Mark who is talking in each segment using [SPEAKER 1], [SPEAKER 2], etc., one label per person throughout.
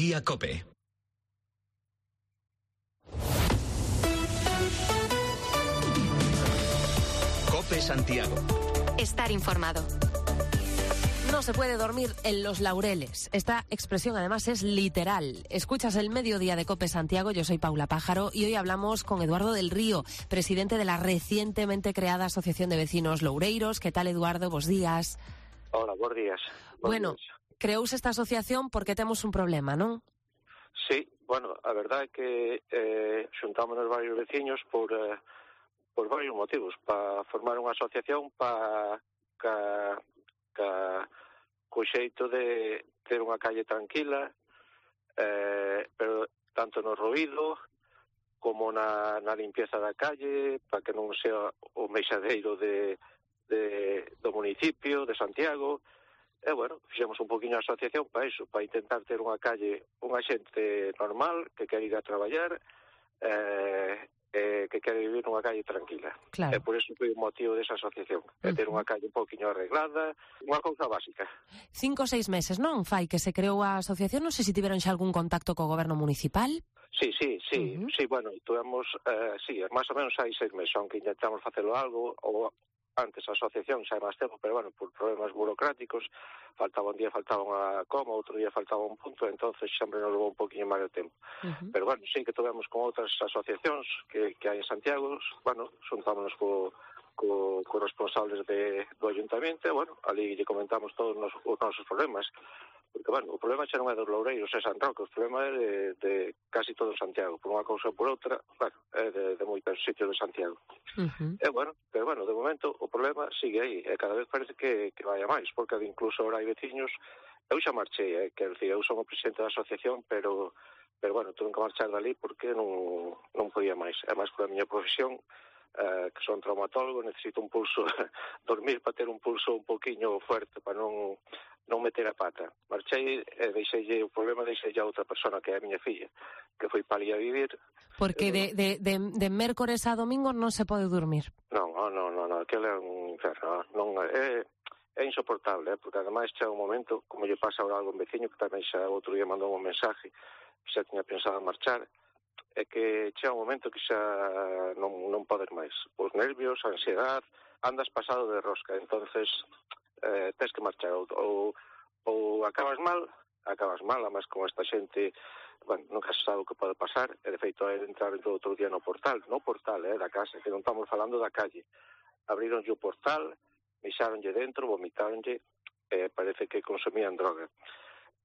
[SPEAKER 1] Día COPE. COPE Santiago.
[SPEAKER 2] Estar informado.
[SPEAKER 3] No se puede dormir en los laureles. Esta expresión además es literal. Escuchas el Mediodía de COPE Santiago, yo soy Paula Pájaro y hoy hablamos con Eduardo del Río, presidente de la recientemente creada Asociación de Vecinos Loureiros. ¿Qué tal, Eduardo? Bos días.
[SPEAKER 4] Hola, bos días.
[SPEAKER 3] Bueno, creouse esta asociación porque temos un problema, non?
[SPEAKER 4] Sí, bueno, a verdade é que xuntámonos varios veciños por varios motivos, para formar unha asociación para co xeito de ter unha calle tranquila, pero tanto no ruído como na limpieza da calle, para que non sea o meixadeiro do municipio de Santiago. E, bueno, fixemos un poquinho a asociación para iso, para intentar ter unha calle, unha xente normal, que quere ir a traballar, que quere vivir nunha calle tranquila.
[SPEAKER 3] Claro.
[SPEAKER 4] E por iso foi o motivo desa asociación, ter unha calle un poquinho arreglada, unha cousa básica.
[SPEAKER 3] 5 ou 6 meses, non, fai, que se creou a asociación? Non sei se tiveron xa algún contacto co goberno municipal.
[SPEAKER 4] Sí, bueno, tuvemos, máis ou menos hai 6 meses, aunque intentamos facelo algo, ou antes a asociación xa é máis tempo, pero, bueno, por problemas burocráticos, faltaba un día, faltaba unha coma, outro día faltaba un punto, entonces sempre nos levou un poquinho máis de tempo. Pero, bueno, sí que tivemos con outras asociacións que hai en Santiago, bueno, xuntámonos co responsables do Ayuntamiento, bueno, ali lle comentamos todos os nosos problemas, porque, bueno, o problema xa non é dos Loureiros, é San Roque, o problema é de casi todo Santiago, por unha cousa ou por outra, bueno, é de moitos sitios de Santiago. Bueno, pero, bueno, de momento o problema sigue aí, e cada vez parece que vai a máis, porque incluso ahora hai veciños, eu xa marchei, quero dicir, eu son o presidente da asociación, pero, bueno, tuve que marchar dali porque non podía máis, é máis pola miña profesión, que son traumatólogo, necesito un pulso, dormir para ter un pulso un poquinho fuerte, para non meter a pata. Marchei e deixei o problema, deixei a outra persona, que é a miña filla, que foi para ali a vivir.
[SPEAKER 3] Porque de mércores a domingo non se pode dormir.
[SPEAKER 4] Non, aquele é un inferno, non é insoportable, porque ademais chega un momento, como lle pasa ahora algo un veciño, que tamén xa outro día mandou un mensaje, xa tiña pensado marchar, é que chega un momento que xa non podes máis. Os nervios, a ansiedade, andas pasado de rosca, entonces tens que marchar, ou acabas mal, además con esta xente, bueno, nunca se sabe o que pode pasar, e de feito é entrar outro día no portal da casa, que non estamos falando da calle. Abrironlle o portal, mixáronlle dentro, vomitáronlle, parece que consumían droga.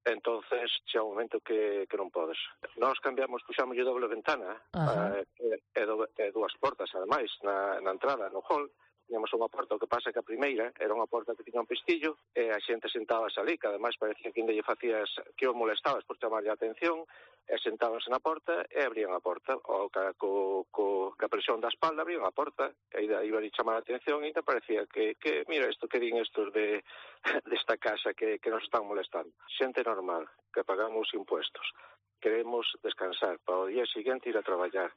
[SPEAKER 4] Entonces, xa un momento que non podes. Nós cambiamos, puxámoslle doble ventana, e dúas portas, ademais, na entrada, no hall. Tiñamos unha porta, o que pasa que a primeira era unha porta que tiña un pestillo, e a xente sentábase ali, que ademais parecía que ainda lle facías, que os molestabas por chamarlle a atención, e sentábanse na porta e abrían a porta, ou ca presión da espalda abrían a porta, e iba a chamar a atención, e ainda parecía que mira isto, que din estos desta casa que nos están molestando. Xente normal, que pagamos impuestos, queremos descansar para o día seguinte ir a traballar,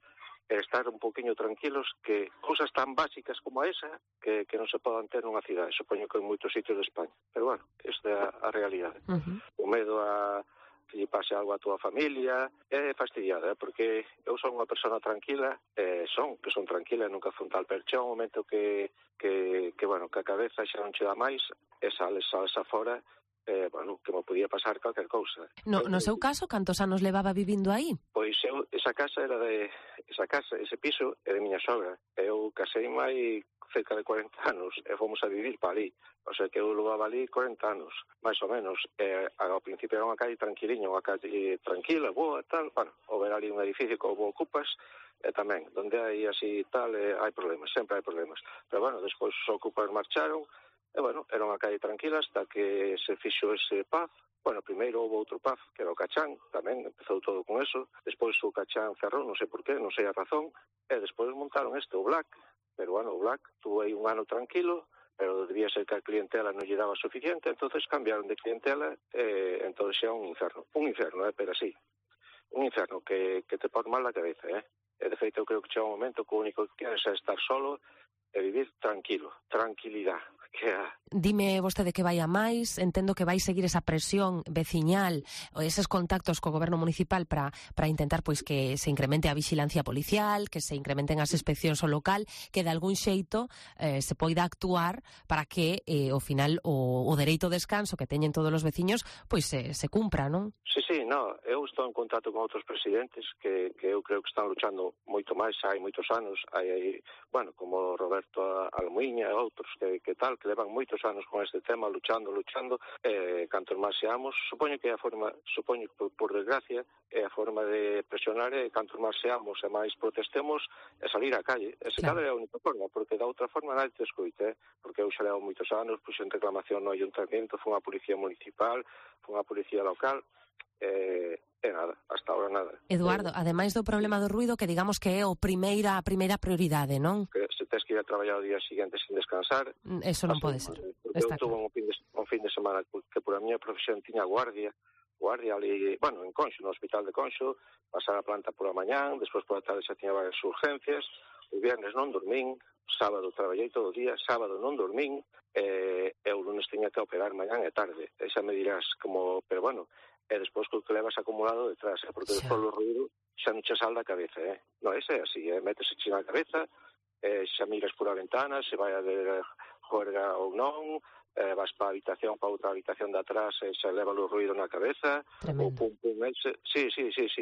[SPEAKER 4] estar un poquinho tranquilos, que cousas tan básicas como esa que non se podan ter nunha cidade, supoño que en moitos sitios de España, pero, bueno, esta é a realidade. O medo a que lle pase algo a túa familia é fastidiada, porque eu son unha persona tranquila, que son tranquila e nunca frontal, pero chega un momento que bueno, que a cabeza xa non che dá máis, e sales afora, bueno, que me podía pasar calquer cousa.
[SPEAKER 3] No seu caso, cantos anos levaba vivindo aí?
[SPEAKER 4] Pois ese piso é de miña sogra. Eu casei hai cerca de 40 anos e fomos a vivir para ali. O sea que eu levaba ali 40 anos, máis ou menos. Ao principio era unha calle tranquiliña, unha calle tranquila, boa, tal. Bueno, ao ver ali un edificio como ocupas, tamén, donde hai así tal, hai problemas, sempre hai problemas. Pero, bueno, despois os ocupas marcharon, e, bueno, era unha calle tranquila hasta que se fixo ese paz. Bueno, primeiro houve outro paz, que era o Cachán, tamén empezou todo con eso. Despois o Cachán cerrou, non sei por qué, non sei a razón. E despois montaron o Black. Pero, bueno, o Black tuvo aí un ano tranquilo, pero debía ser que a clientela non lle daba suficiente, entonces cambiaron de clientela, e entonces xa un inferno, pero así. Un inferno que te pon mal a cabeza, E de feito, eu creo que chega un momento que o único que queres é estar solo e vivir tranquilo, tranquilidade.
[SPEAKER 3] Dime vostede que vai a máis, entendo que vai seguir esa presión veciñal, ou eses contactos co goberno municipal para intentar pois que se incremente a vixilancia policial, que se incrementen as inspeccións ao local, que de algún xeito se poida actuar para que ao final o dereito ao descanso que teñen todos os veciños pois se cumpra, non?
[SPEAKER 4] Sí, no, eu estou en contacto con outros presidentes que eu creo que están luchando moito máis, hai moitos anos, hai como Roberto Almuiña e outros que levan moitos anos con este tema, luchando, cantos máis seamos, supoño que por desgracia, é a forma de presionar, e cantos máis seamos e máis protestemos, é salir á calle. Ese claro. É a única forma, porque da outra forma nadie te escoite, porque eu xa levo moitos anos, puxen reclamación no ayuntamiento, foi unha policía municipal, foi unha policía local, nada, hasta ahora nada.
[SPEAKER 3] Eduardo, ademais do problema do ruido, que digamos que é a primeira prioridade, non?
[SPEAKER 4] Que se tes que ir a traballar o día seguinte sin descansar,
[SPEAKER 3] eso non pode ser.
[SPEAKER 4] Porque eu tuve un fin de semana que por a miña profesión tiña guardia ali, en Conxo, no hospital de Conxo, pasar a planta por a mañán, despois por a tarde xa tiña varias urgencias, o viernes non dormín, sábado traballei todo o día, sábado non dormín, e o lunes tiña que operar mañán e tarde. E xa me dirás como, pero e despois que levas acumulado detrás, porque despois o ruido xa non che sal da cabeza, Non, ese é así, métese xe na cabeza, xa miras por a ventana, se vai a ver juerga ou non, vas para outra habitación de atrás, xa leva o ruido na cabeza,
[SPEAKER 3] tremendo.
[SPEAKER 4] O pum, sí,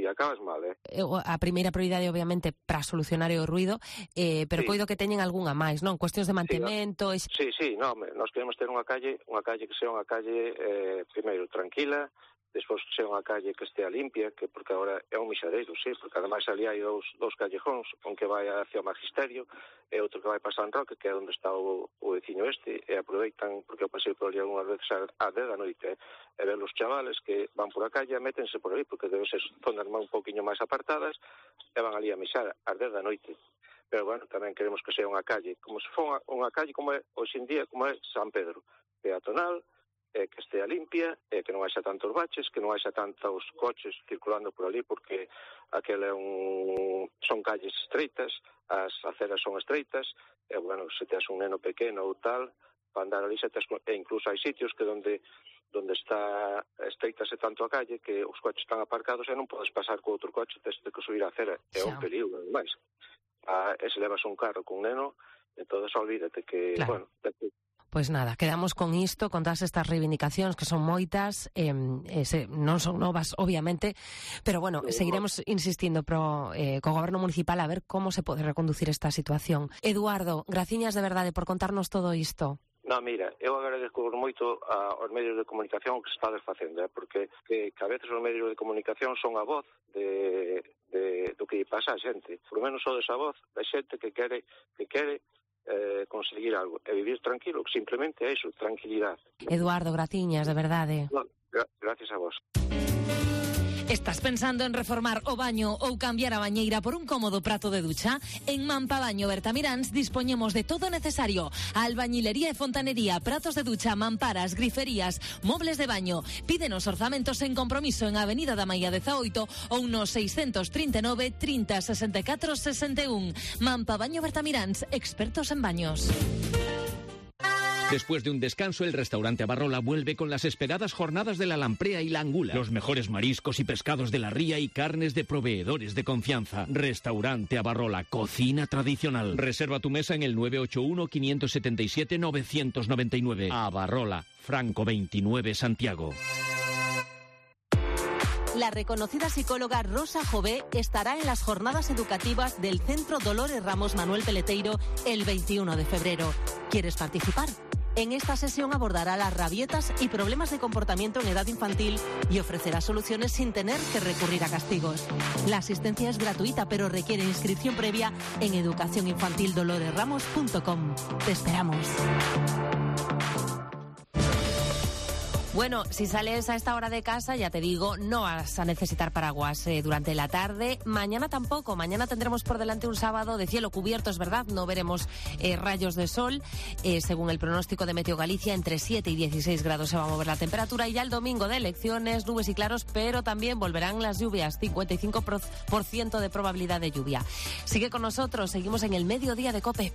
[SPEAKER 4] acabas mal,
[SPEAKER 3] A primeira prioridade, obviamente, para solucionar o ruido, pero coido que teñen algunha máis, non? Cuestións de mantemento...
[SPEAKER 4] Sí, nós queremos ter unha calle que sea unha calle, primeiro, tranquila, despois que sea unha calle que estea limpia, que porque agora é un mixadeiro, sí, porque ademais ali hai dous callejóns, un que vai hacia o Magisterio e outro que vai para San Roque, que é onde está o veciño e aproveitan, porque eu pasei por ali algunhas veces a 10 da noite, e ver os chavales que van por a calle, métense por ali, porque debe ser zonas un poquinho máis apartadas, e van ali a mixar a 10 da noite. Pero, tamén queremos que sea unha calle, como se for unha calle como é hoxe en día, como é San Pedro, peatonal, que estea limpia, que non haxa tantos baches, que non haxa tantos coches circulando por ali, porque aquela son calles estreitas, as aceras son estreitas, e, se tes un neno pequeno ou tal, para andar ali, e incluso hai sitios que onde está estreitase tanto a calle que os coches están aparcados e non podes pasar co outro coche, tes que subir a acera, é un peligro, ademais. E se levas un carro con un neno, entonces olvídate que,
[SPEAKER 3] claro. Pois nada, quedamos con isto, con todas estas reivindicacións que son moitas, non son novas, obviamente, pero seguiremos insistindo co goberno municipal a ver como se pode reconducir esta situación. Eduardo, graciñas de verdade por contarnos todo isto.
[SPEAKER 4] No, mira, eu agradezco moito aos medios de comunicación que se está desfacendo, porque que a veces os medios de comunicación son a voz do que pasa a xente. Por lo menos son esa voz da xente que quere conseguir algo e vivir tranquilo, simplemente é iso, tranquilidade.
[SPEAKER 3] Eduardo, graciñas, de verdade.
[SPEAKER 4] Gracias a vos.
[SPEAKER 5] Estás pensando en reformar o baño ou cambiar a bañeira por un cómodo prato de ducha? En Mampabaño Bertamiráns dispoñemos de todo necesario: albañilería e fontanería, pratos de ducha, mamparas, griferías, mobles de baño. Pídenos orzamentos sen compromiso en Avenida da Maia 18 ou no 639 30 64 61. Mampabaño Bertamiráns, expertos en baños.
[SPEAKER 1] Después de un descanso, el restaurante Abarrola vuelve con las esperadas jornadas de la lamprea y la angula. Los mejores mariscos y pescados de la ría y carnes de proveedores de confianza. Restaurante Abarrola, cocina tradicional. Reserva tu mesa en el 981-577-999. Abarrola, Franco 29, Santiago.
[SPEAKER 5] La reconocida psicóloga Rosa Jové estará en las jornadas educativas del Centro Dolores Ramos Manuel Peleteiro el 21 de febrero. ¿Quieres participar? En esta sesión abordará las rabietas y problemas de comportamiento en edad infantil y ofrecerá soluciones sin tener que recurrir a castigos. La asistencia es gratuita, pero requiere inscripción previa en educacioninfantildoloresramos.com. Te esperamos.
[SPEAKER 3] Bueno, si sales a esta hora de casa, ya te digo, no vas a necesitar paraguas durante la tarde. Mañana tampoco. Mañana tendremos por delante un sábado de cielo cubierto, es verdad. No veremos rayos de sol. Según el pronóstico de Meteo Galicia, entre 7 y 16 grados se va a mover la temperatura. Y ya el domingo de elecciones, nubes y claros, pero también volverán las lluvias. 55% de probabilidad de lluvia. Sigue con nosotros. Seguimos en el mediodía de COPE.